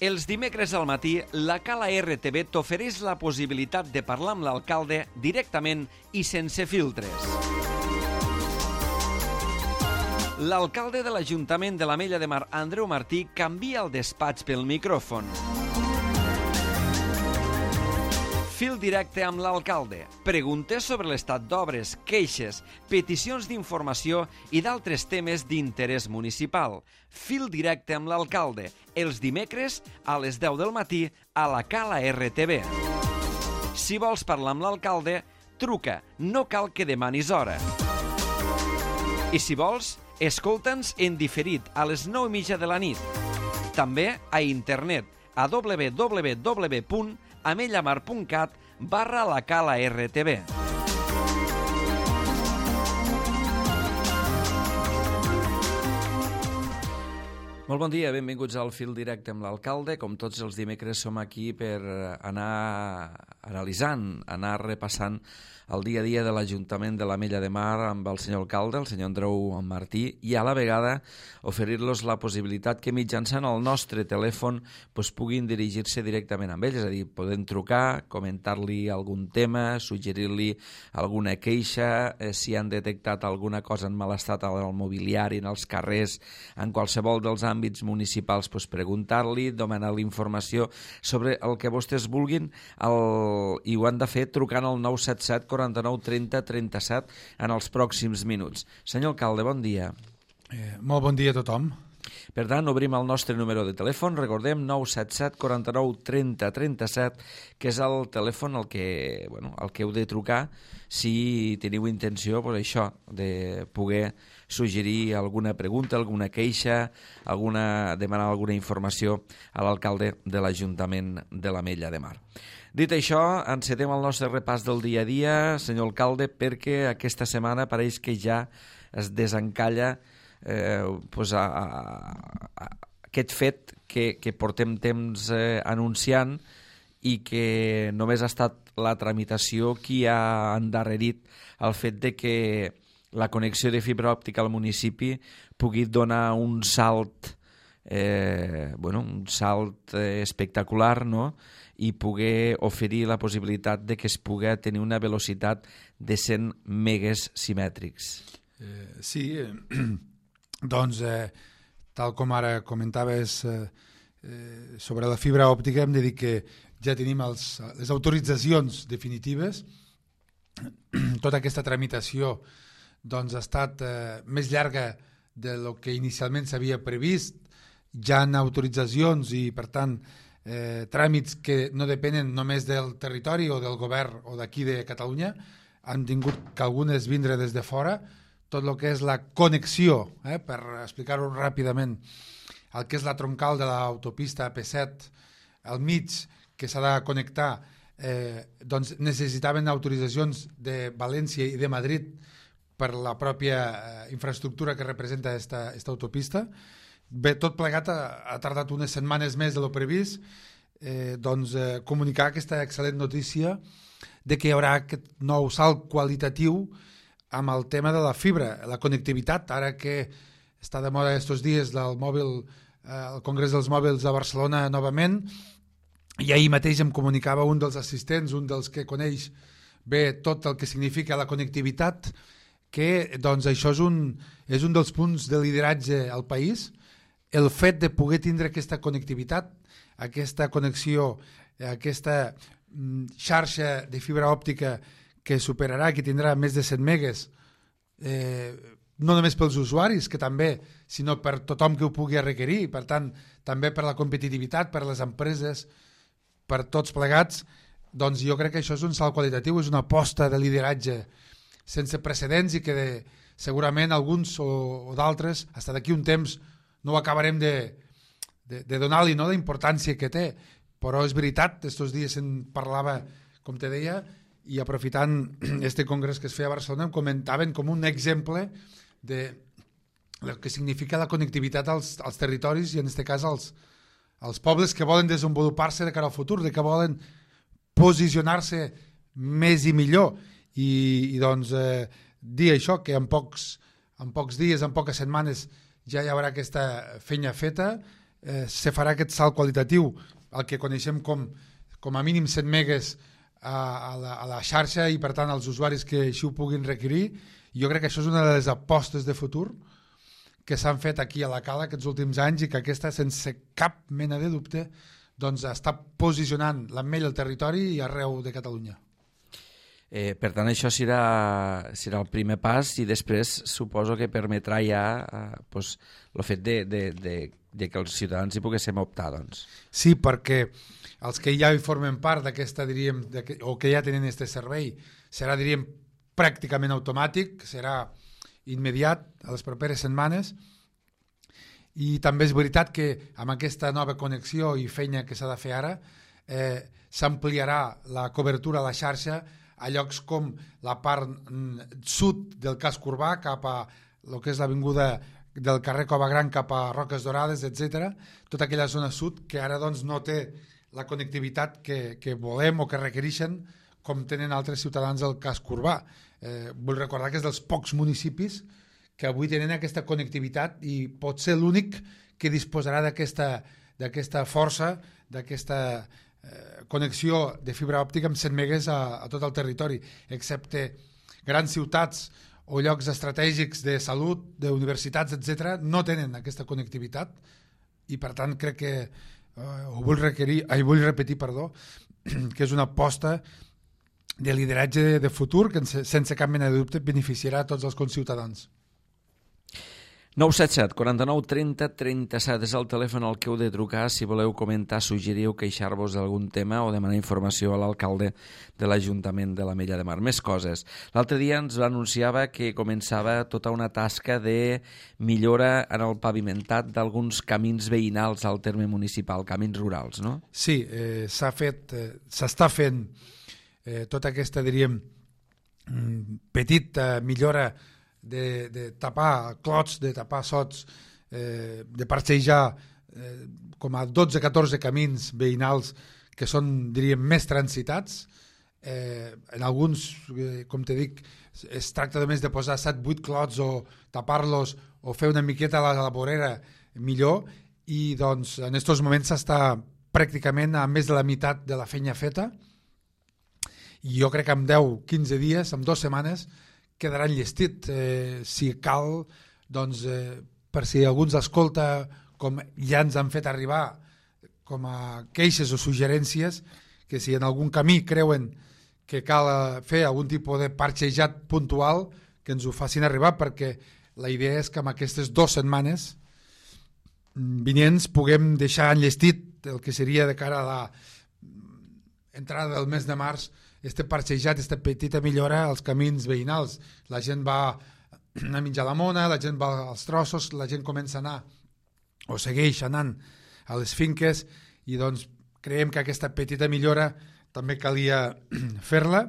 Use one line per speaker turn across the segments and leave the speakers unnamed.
Els dimecres al matí, la Cala RTV t'ofereix la possibilitat de parlar amb l'alcalde directament i sense filtres. L'alcalde de l'Ajuntament de l'Ametlla de Mar, Andreu Martí, canvia el despatx pel micròfon. Fil directe amb l'alcalde. Preguntes sobre l'estat d'obres, queixes, peticions d'informació i d'altres temes d'interès municipal. Fil directe amb l'alcalde. Els dimecres a les 10 del matí a la Cala RTV. Si vols parlar amb l'alcalde, truca. No cal que demanis hora. I si vols, escolta'ns en diferit a les 9:30 de la nit. També a internet a www.amellamar.cat/la Cala RTV. Molt bon dia, benvinguts al Fil Directe amb l'alcalde. Com tots els dimecres som aquí per anar analitzant, anar repassant el dia a dia de l'Ajuntament de l'Ametlla de Mar amb el senyor alcalde, el senyor Andreu Martí, i a la vegada oferir-los la possibilitat que mitjançant el nostre telèfon puguin dirigir-se directament amb ells, és a dir, poden trucar, comentar-li algun tema, suggerir-li alguna queixa, si han detectat alguna cosa en mal estat al mobiliari, en els carrers, en qualsevol dels àmbits municipals, preguntar-li, demanar-li informació sobre el que vostès vulguin, i ho han de fer trucant al 977 49 30 37 en els pròxims minuts. Senyor alcalde, bon dia.
Molt bon dia a tothom.
Per tant, obrim el nostre número de telèfon, recordem 977 49 30 37, que és el telèfon al que heu de trucar si teniu intenció de poder suggerir alguna pregunta, alguna queixa, demanar alguna informació a l'alcalde de l'Ajuntament de l'Ametlla de Mar. Dit això, encetem el nostre repàs del dia a dia, senyor alcalde, perquè aquesta setmana pareix que ja es desencalla aquest fet que portem temps anunciant i que només ha estat la tramitació qui ha endarrerit el fet de que la connexió de fibra òptica al municipi pugui donar un salt espectacular, no?, i poder oferir la possibilitat de que es pugui tenir una velocitat de 100 megas simètrics.
Sí, doncs, tal com ara comentaves sobre la fibra òptica, hem de dir que ja tenim les autoritzacions definitives. Tota aquesta tramitació ha estat més llarga del que inicialment s'havia previst. Ja hi ha autoritzacions i, per tant, tràmits que no depenen només del territori o del govern o d'aquí de Catalunya. Han tingut que algunes vindre des de fora. Tot el que és la connexió, per explicar-ho ràpidament, el que és la troncal de l'autopista AP7 al mig, que s'ha de connectar, doncs necessitaven autoritzacions de València i de Madrid per la pròpia infraestructura que representa aquesta autopista. Bé, tot plegat ha tardat unes setmanes més de lo previst, comunicar aquesta excel·lent notícia de que hi haurà aquest nou salt qualitatiu amb el tema de la fibra, la connectivitat, ara que està de moda aquests dies del mòbil, el Congrés dels Mòbils a Barcelona novament, i ahir mateix em comunicava un dels assistents, un dels que coneix bé tot el que significa la connectivitat, que doncs, això és un dels punts de lideratge al país, el fet de poder tindre aquesta connectivitat, aquesta connexió, aquesta xarxa de fibra òptica que superarà, que tindrà més de 100 megas, no només pels usuaris, que també, sinó per tothom que ho pugui requerir, per tant, també per la competitivitat, per les empreses, per tots plegats, doncs jo crec que això és un salt qualitatiu, és una aposta de lideratge sense precedents i que segurament alguns o d'altres, fins d'aquí un temps, no ho acabarem de donar-li, no?, la importància que té, però és veritat, aquests dies se'n parlava, com te deia, i aprofitant este congrés que es feia a Barcelona em comentaven com un exemple de el que significa la connectivitat als territoris i en aquest cas als pobles que volen desenvolupar-se de cara al futur, de que volen posicionar-se més i millor i doncs dir això, que en pocs dies, en poques setmanes ja hi haurà aquesta feina feta, se farà aquest salt qualitatiu, el que coneixem com a mínim 100 megas a la xarxa i per tant als usuaris que així ho puguin requerir. Jo crec que això és una de les apostes de futur que s'han fet aquí a la Cala aquests últims anys i que aquesta, sense cap mena de dubte, doncs està posicionant l'Ametlla al territori i arreu de Catalunya.
Per tant, això serà el primer pas i després suposo que permetrà ja el fet de que els ciutadans hi poguéssim optar. Doncs.
Sí, perquè els que ja hi formen part d'aquesta, diríem, o que ja tenen aquest servei, serà, diríem, pràcticament automàtic, serà immediat a les properes setmanes, i també és veritat que amb aquesta nova connexió i feina que s'ha de fer ara s'ampliarà la cobertura a la xarxa a llocs com la part sud del casc urbà cap a el que és l'avinguda del carrer Cova Gran cap a Roques Dorades, etc. Tota aquella zona sud que ara doncs, no té la connectivitat que volem o que requereixen com tenen altres ciutadans del casc urbà. Vull recordar que és dels pocs municipis que avui tenen aquesta connectivitat i pot ser l'únic que disposarà d'aquesta força, d'aquesta connexió de fibra òptica amb 100 megas a tot el territori, excepte grans ciutats o llocs estratègics de salut, d'universitats, etc., no tenen aquesta connectivitat i per tant crec que vull repetir, que és una aposta de lideratge de futur que sense cap mena de dubte beneficiarà a tots els conciutadans.
977 49 30 37 és el telèfon al que heu de trucar si voleu comentar, suggerir o queixar-vos d'algun tema o demanar informació a l'alcalde de l'Ajuntament de l'Ametlla de Mar. Més coses. L'altre dia ens anunciava que començava tota una tasca de millora en el pavimentat d'alguns camins veïnals al terme municipal, camins rurals, no?
Sí, s'està fent tota aquesta, diríem, petita millora de tapar clots, de tapar sots, de parcejar com a 12-14 camins veïnals que són, diríem, més transitats. En alguns, com te dic, es tracta només de posar 7-8 clots o tapar-los o fer una miqueta a la vorera millor i doncs en aquests moments s'està pràcticament a més de la meitat de la feina feta i jo crec que en 10-15 dies, en 2 setmanes, quedarà enllestit. Si cal, doncs, per si algú ens escolta, com ja ens han fet arribar com a queixes o suggerències, que si en algun camí creuen que cal fer algun tipus de parxejat puntual, que ens ho facin arribar, perquè la idea és que en aquestes 2 setmanes vinents puguem deixar enllestit el que seria de cara a la entrada del mes de març, este parxejat, aquesta petita millora als camins veïnals. La gent va a menjar la mona, la gent va als trossos, la gent comença a anar o segueix anant a les finques i doncs creiem que aquesta petita millora també calia fer-la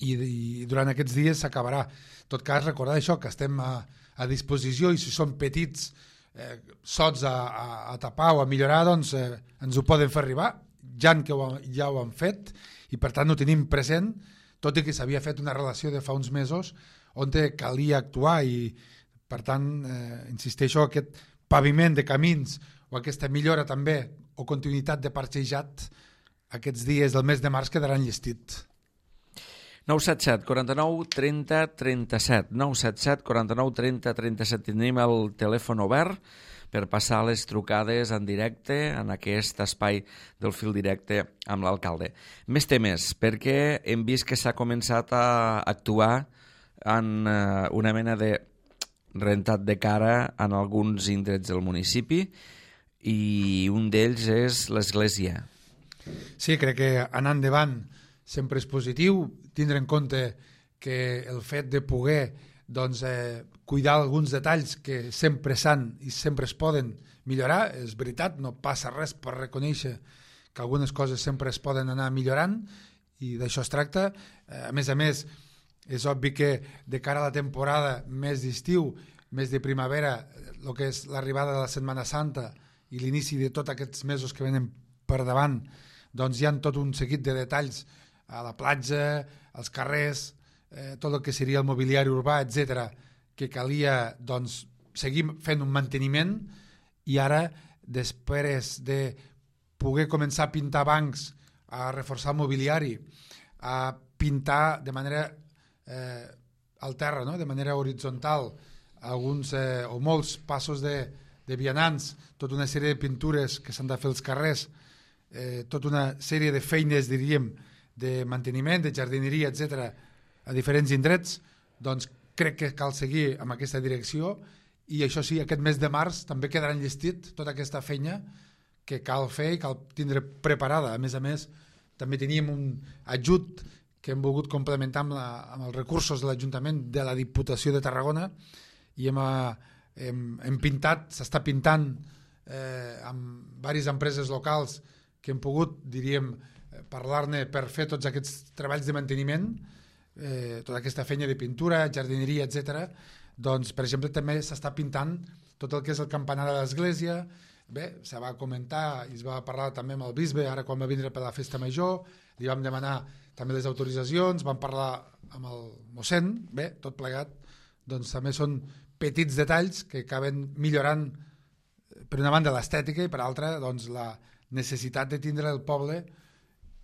i durant aquests dies s'acabarà. En tot cas, recordar això, que estem a disposició i si són petits sots a tapar o a millorar, doncs ens ho poden fer arribar, ja ho han fet i per tant ho tenim present, tot i que s'havia fet una relació de fa uns mesos on calia actuar i per tant insisteixo, aquest paviment de camins o aquesta millora també o continuïtat de parxejat aquests dies del mes de març quedarà enllestit.
977 49 30 37 977 49 30 37 tenim el telèfon obert per passar les trucades en directe en aquest espai del fil directe amb l'alcalde. Més temes, perquè hem vist que s'ha començat a actuar en una mena de rentat de cara en alguns indrets del municipi i un d'ells és l'església.
Sí, crec que anar endavant sempre és positiu, tindre en compte que el fet de poder doncs, cuidar alguns detalls que sempre s'han i sempre es poden millorar, és veritat, no passa res per reconèixer que algunes coses sempre es poden anar millorant i d'això es tracta. A més, és obvi que de cara a la temporada més d'estiu, més de primavera, el que és l'arribada de la Setmana Santa i l'inici de tots aquests mesos que venen per davant, doncs hi ha tot un seguit de detalls a la platja, als carrers, tot el que seria el mobiliari urbà, etc., que calia doncs, seguir fent un manteniment i ara després de poder començar a pintar bancs, a reforçar el mobiliari, a pintar de manera al terra, no? De manera horitzontal, alguns o molts passos de vianants, tota una sèrie de pintures que s'han de fer als carrers, tota una sèrie de feines, diríem, de manteniment, de jardineria, etc., a diferents indrets, doncs crec que cal seguir amb aquesta direcció i això sí, aquest mes de març també quedarà enllestit tota aquesta feina que cal fer i cal tindre preparada. A més, també teníem un ajut que hem volgut complementar amb els recursos de l'Ajuntament de la Diputació de Tarragona i hem pintat, s'està pintant amb diverses empreses locals que hem pogut, diríem, parlar-ne per fer tots aquests treballs de manteniment, tota aquesta feina de pintura, jardineria, etc. Doncs, per exemple, també s'està pintant tot el que és el campanar de l'església. Bé, se va comentar i es va parlar també amb el bisbe, ara quan va vindre per la festa major, li vam demanar també les autoritzacions, vam parlar amb el mossèn, bé, tot plegat, doncs també són petits detalls que acaben millorant, per una banda, l'estètica i per altra, doncs, la necessitat de tindre el poble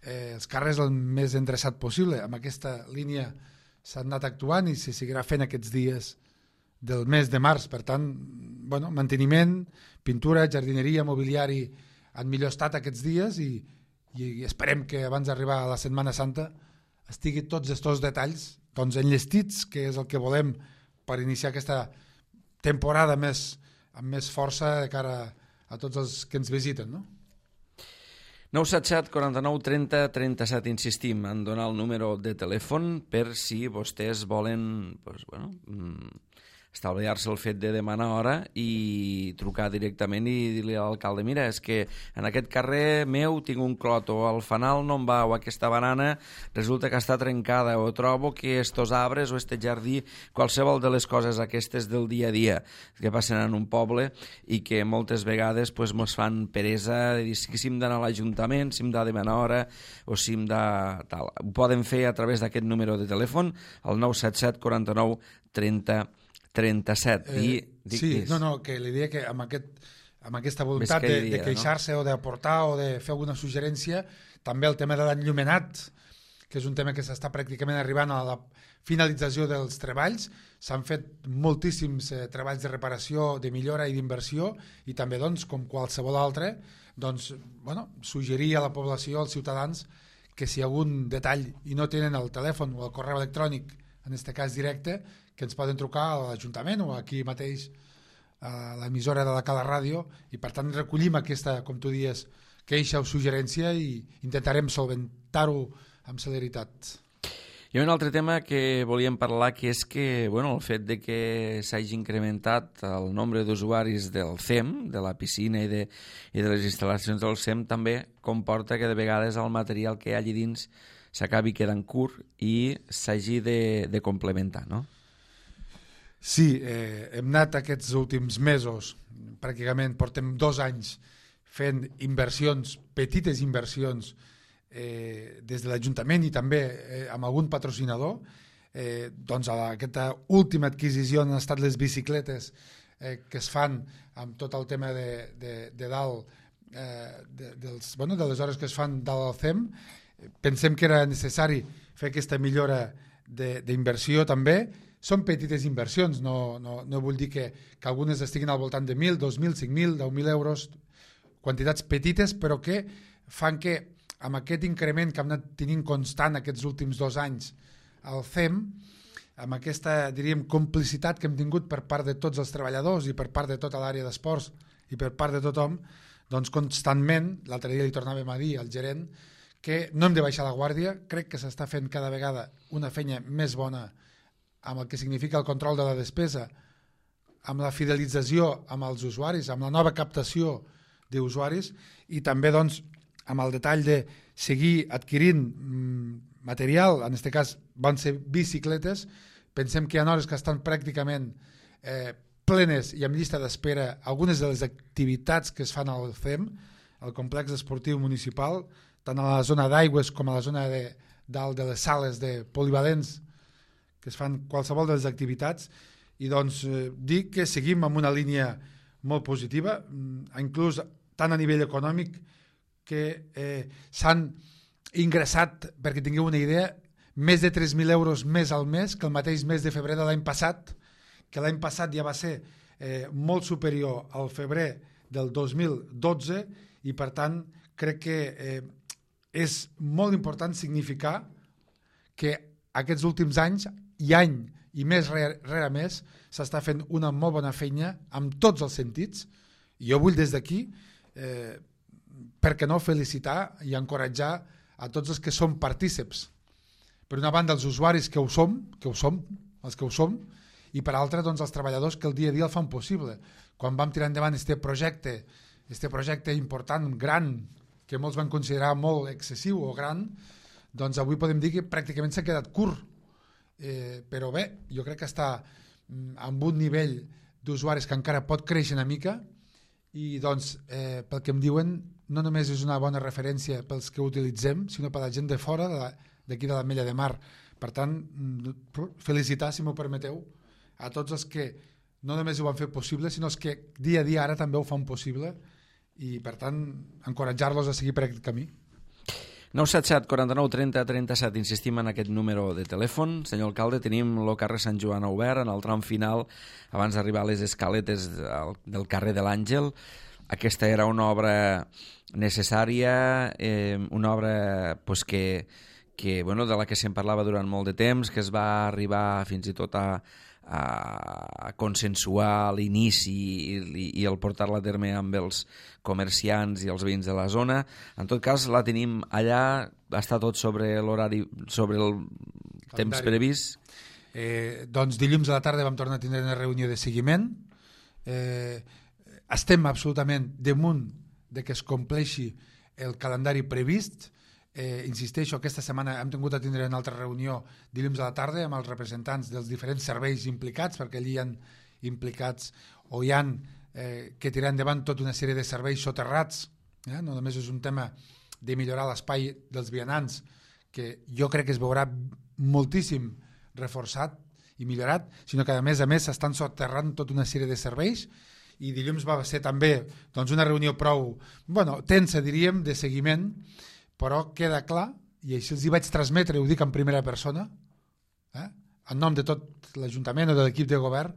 els carrers el més endreçat possible. Amb aquesta línia s'ha anat actuant i se seguirà fent aquests dies del mes de març. Per tant, bueno, manteniment, pintura, jardineria, mobiliari en millor estat aquests dies i esperem que abans d'arribar a la Setmana Santa estigui tots aquests detalls doncs, enllestits, que és el que volem per iniciar aquesta temporada amb més força de cara a tots els que ens visiten, no?
977 49 30 37, insistim en donar el número de telèfon per si vostès volen estalviar-se el fet de demanar hora i trucar directament i dir-li a l'alcalde: mira, és que en aquest carrer meu tinc un clot, o el fanal no em va, o aquesta banana resulta que està trencada, o trobo que estos arbres o este jardí, qualsevol de les coses aquestes del dia a dia que passen en un poble i que moltes vegades pues, mos fan peresa de dir si hem d'anar a l'Ajuntament, si hem de demanar hora o si hem de... Tal. Ho poden fer a través d'aquest número de telèfon, el 977 49 30 37.
Sí, que li diria que amb aquesta voluntat de queixar-se, no? O d'aportar o de fer alguna suggerència, també el tema de l'enllumenat, que és un tema que s'està pràcticament arribant a la finalització dels treballs. S'han fet moltíssims treballs de reparació, de millora i d'inversió, i també, doncs, com qualsevol altre, doncs, suggerir a la població, als ciutadans, que si hi ha algun detall i no tenen el telèfon o el correu electrònic, en aquest cas directe, que ens poden trucar a l'Ajuntament o aquí mateix a l'emissora de la Cala Ràdio, i per tant recollim aquesta, com tu dius, queixa o suggerència i intentarem solventar-ho amb celeritat.
Hi ha un altre tema que volíem parlar, que és que el fet de que s'hagi incrementat el nombre d'usuaris del CEM, de la piscina i de les instal·lacions del CEM, també comporta que de vegades el material que hi ha allà dins s'acabi quedant curt i s'hagi de complementar, no?
Sí, hem anat aquests últims mesos, pràcticament portem 2 anys fent inversions, petites inversions, des de l'Ajuntament i també amb algun patrocinador. Doncs aquesta última adquisició han estat les bicicletes que es fan amb tot el tema de dalt, de les hores que es fan dalt al CEM. Pensem que era necessari fer aquesta millora d'inversió també. Són petites inversions, no vull dir que algunes estiguin al voltant de 1.000, 2.000, 5.000, 10.000 euros, quantitats petites, però que fan que amb aquest increment que hem anat tenint constant aquests últims 2 anys al CEM, amb aquesta, diríem, complicitat que hem tingut per part de tots els treballadors i per part de tota l'àrea d'esports i per part de tothom, doncs constantment, l'altre dia li tornàvem a dir al gerent que no hem de baixar la guàrdia, crec que s'està fent cada vegada una feina més bona amb el que significa el control de la despesa, amb la fidelització amb els usuaris, amb la nova captació d'usuaris i també doncs, amb el detall de seguir adquirint material, en aquest cas van ser bicicletes. Pensem que hi ha hores que estan pràcticament plenes i amb llista d'espera algunes de les activitats que es fan al CEM, al complex esportiu municipal, tant a la zona d'aigües com a la zona de dalt de les sales de polivalents, que es fan qualsevol de les activitats, i doncs dir que seguim amb una línia molt positiva, inclús tant a nivell econòmic que s'han ingressat, perquè tingueu una idea, més de 3.000 euros més al mes que el mateix mes de febrer de l'any passat, que l'any passat ja va ser molt superior al febrer del 2012 i per tant crec que és molt important significar que aquests últims anys i any i més rere més s'està fent una molt bona feina amb tots els sentits. Jo vull des d'aquí per què no felicitar i encoratjar a tots els que som partíceps. Per una banda els usuaris que ho som, els que ho som, i per altra doncs, els treballadors que el dia a dia el fan possible. Quan vam tirar endavant aquest projecte important, gran, que molts van considerar molt excessiu o gran, doncs avui podem dir que pràcticament s'ha quedat curt. Però bé, jo crec que està amb un nivell d'usuaris que encara pot créixer una mica i doncs pel que em diuen no només és una bona referència pels que ho utilitzem, sinó per la gent de fora d'aquí de l'Ametlla de Mar. Per tant, felicitar, si m'ho permeteu, a tots els que no només ho van fer possible, sinó els que dia a dia ara també ho fan possible i per tant encoratjar-los a seguir per aquest camí.
977 49 30 37, insistim en aquest número de telèfon. Senyor alcalde, tenim el carrer Sant Joan obert en el tram final abans d'arribar a les escaletes del carrer de l'Àngel. Aquesta era una obra necessària, una obra pues, que bueno, de la que se'n parlava durant molt de temps, que es va arribar fins i tot a consensuar l'inici i el portar-la a terme amb els comerciants i els veïns de la zona. En tot cas, la tenim allà, està tot sobre l'horari, sobre el temps previst.
Doncs dilluns a la tarda vam tornar a tindre una reunió de seguiment. Estem absolutament damunt de que es compleixi el calendari previst. Insisteixo, aquesta setmana hem tingut a tindre una altra reunió dilluns a la tarda amb els representants dels diferents serveis implicats, perquè allí hi ha implicats o hi ha que tirar endavant tota una sèrie de serveis soterrats. No només és un tema de millorar l'espai dels vianants, que jo crec que es veurà moltíssim reforçat i millorat, sinó que a més s'estan soterrant tota una sèrie de serveis. I dilluns va ser també doncs, una reunió prou tensa, diríem, de seguiment, però queda clar, i així els hi vaig transmetre, ho dic en primera persona, en nom de tot l'Ajuntament o de l'equip de govern,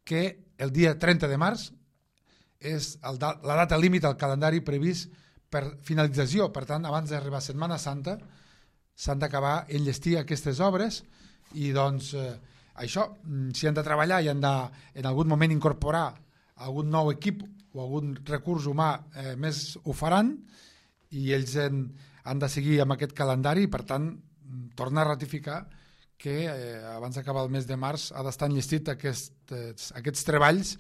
que el dia 30 de març és la data límit al calendari previst per finalització. Per tant, abans d'arribar a Setmana Santa s'han d'acabar enllestir aquestes obres i doncs això, si han de treballar i han de en algun moment incorporar algun nou equip o algun recurs humà més ho faran i ells han de seguir amb aquest calendari i per tant tornar a ratificar que abans d'acabar el mes de març ha d'estar enllestit aquests treballs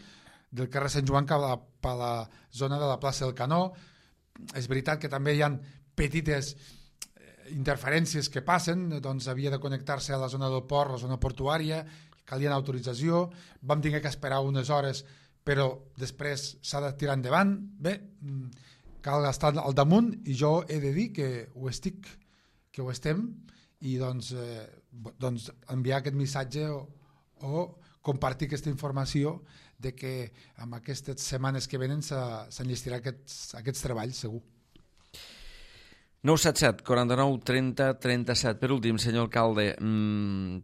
del carrer Sant Joan cap a la zona de la plaça del Canó. És veritat que també hi ha petites interferències que passen, doncs havia de connectar-se a la zona del port, la zona portuària, calia autorització, vam tenir que esperar unes hores però després s'ha de tirar endavant. Bé, cal estar al damunt i jo he de dir que ho estem i doncs enviar aquest missatge o compartir aquesta informació de que en aquestes setmanes que venen s'enllestirà aquests treballs segur.
977 49 30 37. Per últim, senyor alcalde,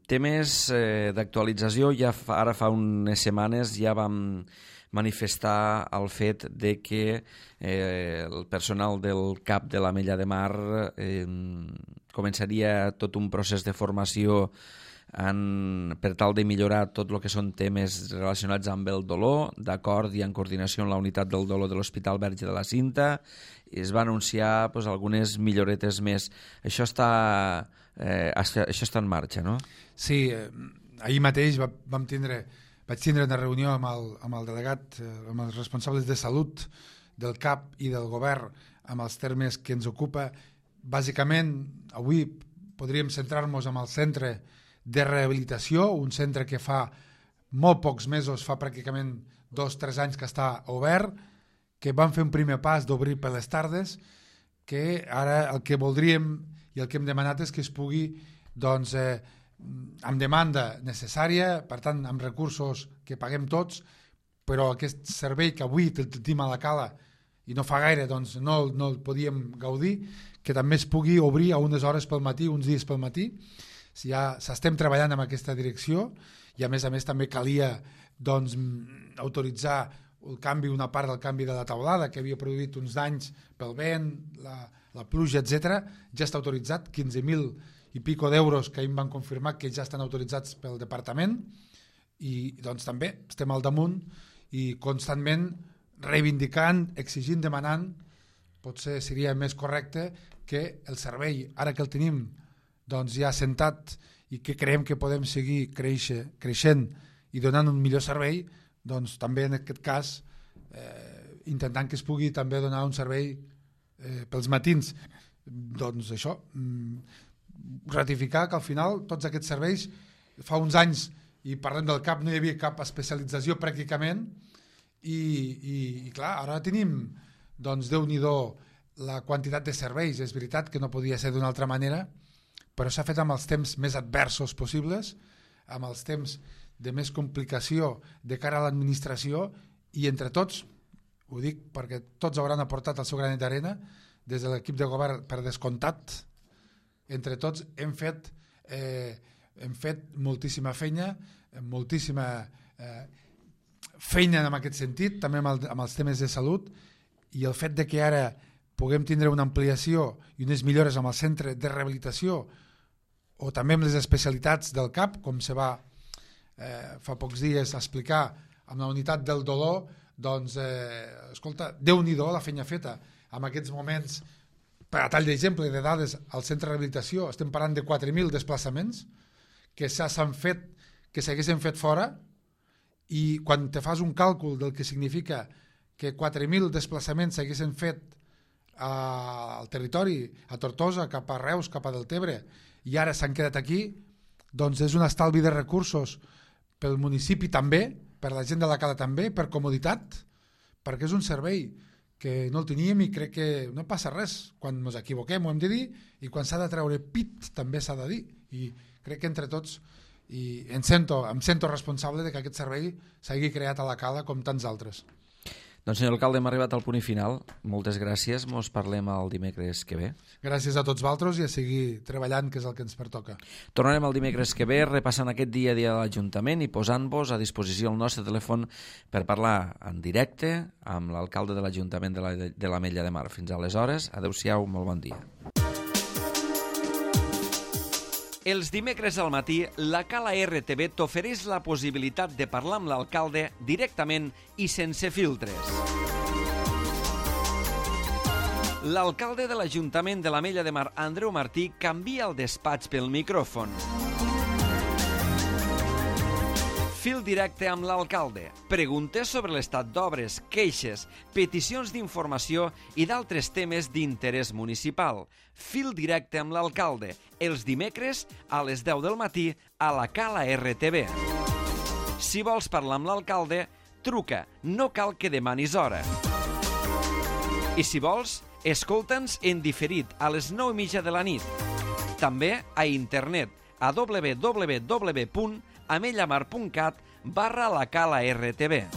temes d'actualització. Ara fa unes setmanes ja vam manifestar el fet de que el personal del CAP de l'Ametlla de Mar començaria tot un procés de formació per tal de millorar tot el que són temes relacionats amb el dolor, d'acord i en coordinació amb la unitat del dolor de l'Hospital Verge de la Cinta. Es va anunciar algunes milloretes més. Això està en marxa, no?
Sí, ahir mateix vaig tindre una reunió amb el delegat, amb els responsables de salut del CAP i del govern amb els termes que ens ocupa. Bàsicament, avui podríem centrar-nos en el centre de rehabilitació, un centre que fa molt pocs mesos, fa pràcticament 2-3 anys que està obert, que vam fer un primer pas d'obrir per les tardes, que ara el que voldríem i el que hem demanat és que es pugui, doncs, amb demanda necessària, per tant, amb recursos que paguem tots, però aquest servei que avui tenim a la Cala i no fa gaire doncs no el podíem gaudir, que també es pugui obrir a unes hores pel matí, uns dies pel matí. Ja s'estem treballant en aquesta direcció i a més també calia doncs, autoritzar una part del canvi de la teulada que havia produït uns danys pel vent, la pluja, etc. Ja està autoritzat, 15.000 i pico d'euros que ahir em van confirmar que ja estan autoritzats pel departament i doncs també estem al damunt i constantment reivindicant, exigint, demanant. Potser seria més correcte que el servei, ara que el tenim doncs ja assentat i que creiem que podem seguir creixent i donant un millor servei, doncs també en aquest cas intentant que es pugui també donar un servei pels matins. Doncs això, ratificar que al final tots aquests serveis, fa uns anys, i parlem del CAP, no hi havia cap especialització pràcticament i clar, ara tenim doncs Déu-n'hi-do la quantitat de serveis. És veritat que no podia ser d'una altra manera, però s'ha fet amb els temps més adversos possibles, amb els temps de més complicació de cara a l'administració i entre tots, ho dic perquè tots hauran aportat el seu granet d'arena, des de l'equip de govern per descomptat, entre tots hem fet moltíssima feina en aquest sentit, també amb els temes de salut, i el fet de que ara puguem tindre una ampliació i unes millores amb el centre de rehabilitació o també amb les especialitats del CAP, com se va fa pocs dies explicar amb la unitat del dolor, doncs, escolta, Déu-n'hi-do la feina feta. En aquests moments, per a tall d'exemple de dades, al centre de rehabilitació estem parlant de 4.000 desplaçaments que s'han fet, que s'haguessin fet fora, i quan te fas un càlcul del que significa que 4.000 desplaçaments s'haguessin fet al territori, a Tortosa, cap a Reus, cap a Deltebre, i ara s'han quedat aquí, doncs és un estalvi de recursos pel municipi també, per la gent de la Cala també, per comoditat, perquè és un servei que no el teníem i crec que no passa res. Quan ens equivoquem ho hem de dir i quan s'ha de treure pit també s'ha de dir. I crec que entre tots em sento responsable de que aquest servei s'hagi creat a la Cala com tants altres.
Doncs senyor alcalde, hem arribat al punt final. Moltes gràcies. Mos parlem el dimecres que ve.
Gràcies a tots vosaltres i a seguir treballant, que és el que ens pertoca.
Tornarem el dimecres que ve repassant aquest dia a dia de l'Ajuntament i posant-vos a disposició el nostre telèfon per parlar en directe amb l'alcalde de l'Ajuntament de l'Ametlla de Mar. Fins aleshores, adeu-siau, molt bon dia. Els dimecres al matí, la Cala RTV t'ofereix la possibilitat de parlar amb l'alcalde directament i sense filtres. L'alcalde de l'Ajuntament de l'Ametlla de Mar, Andreu Martí, canvia el despatx pel micròfon. Fil directe amb l'alcalde. Preguntes sobre l'estat d'obres, queixes, peticions d'informació i d'altres temes d'interès municipal. Fil directe amb l'alcalde. Els dimecres a les 10 del matí a la Cala RTV. Si vols parlar amb l'alcalde, truca. No cal que demanis hora. I si vols, escolta'ns en diferit a les 9:30 de la nit. També a internet a www.amellamar.cat/la Cala RTV.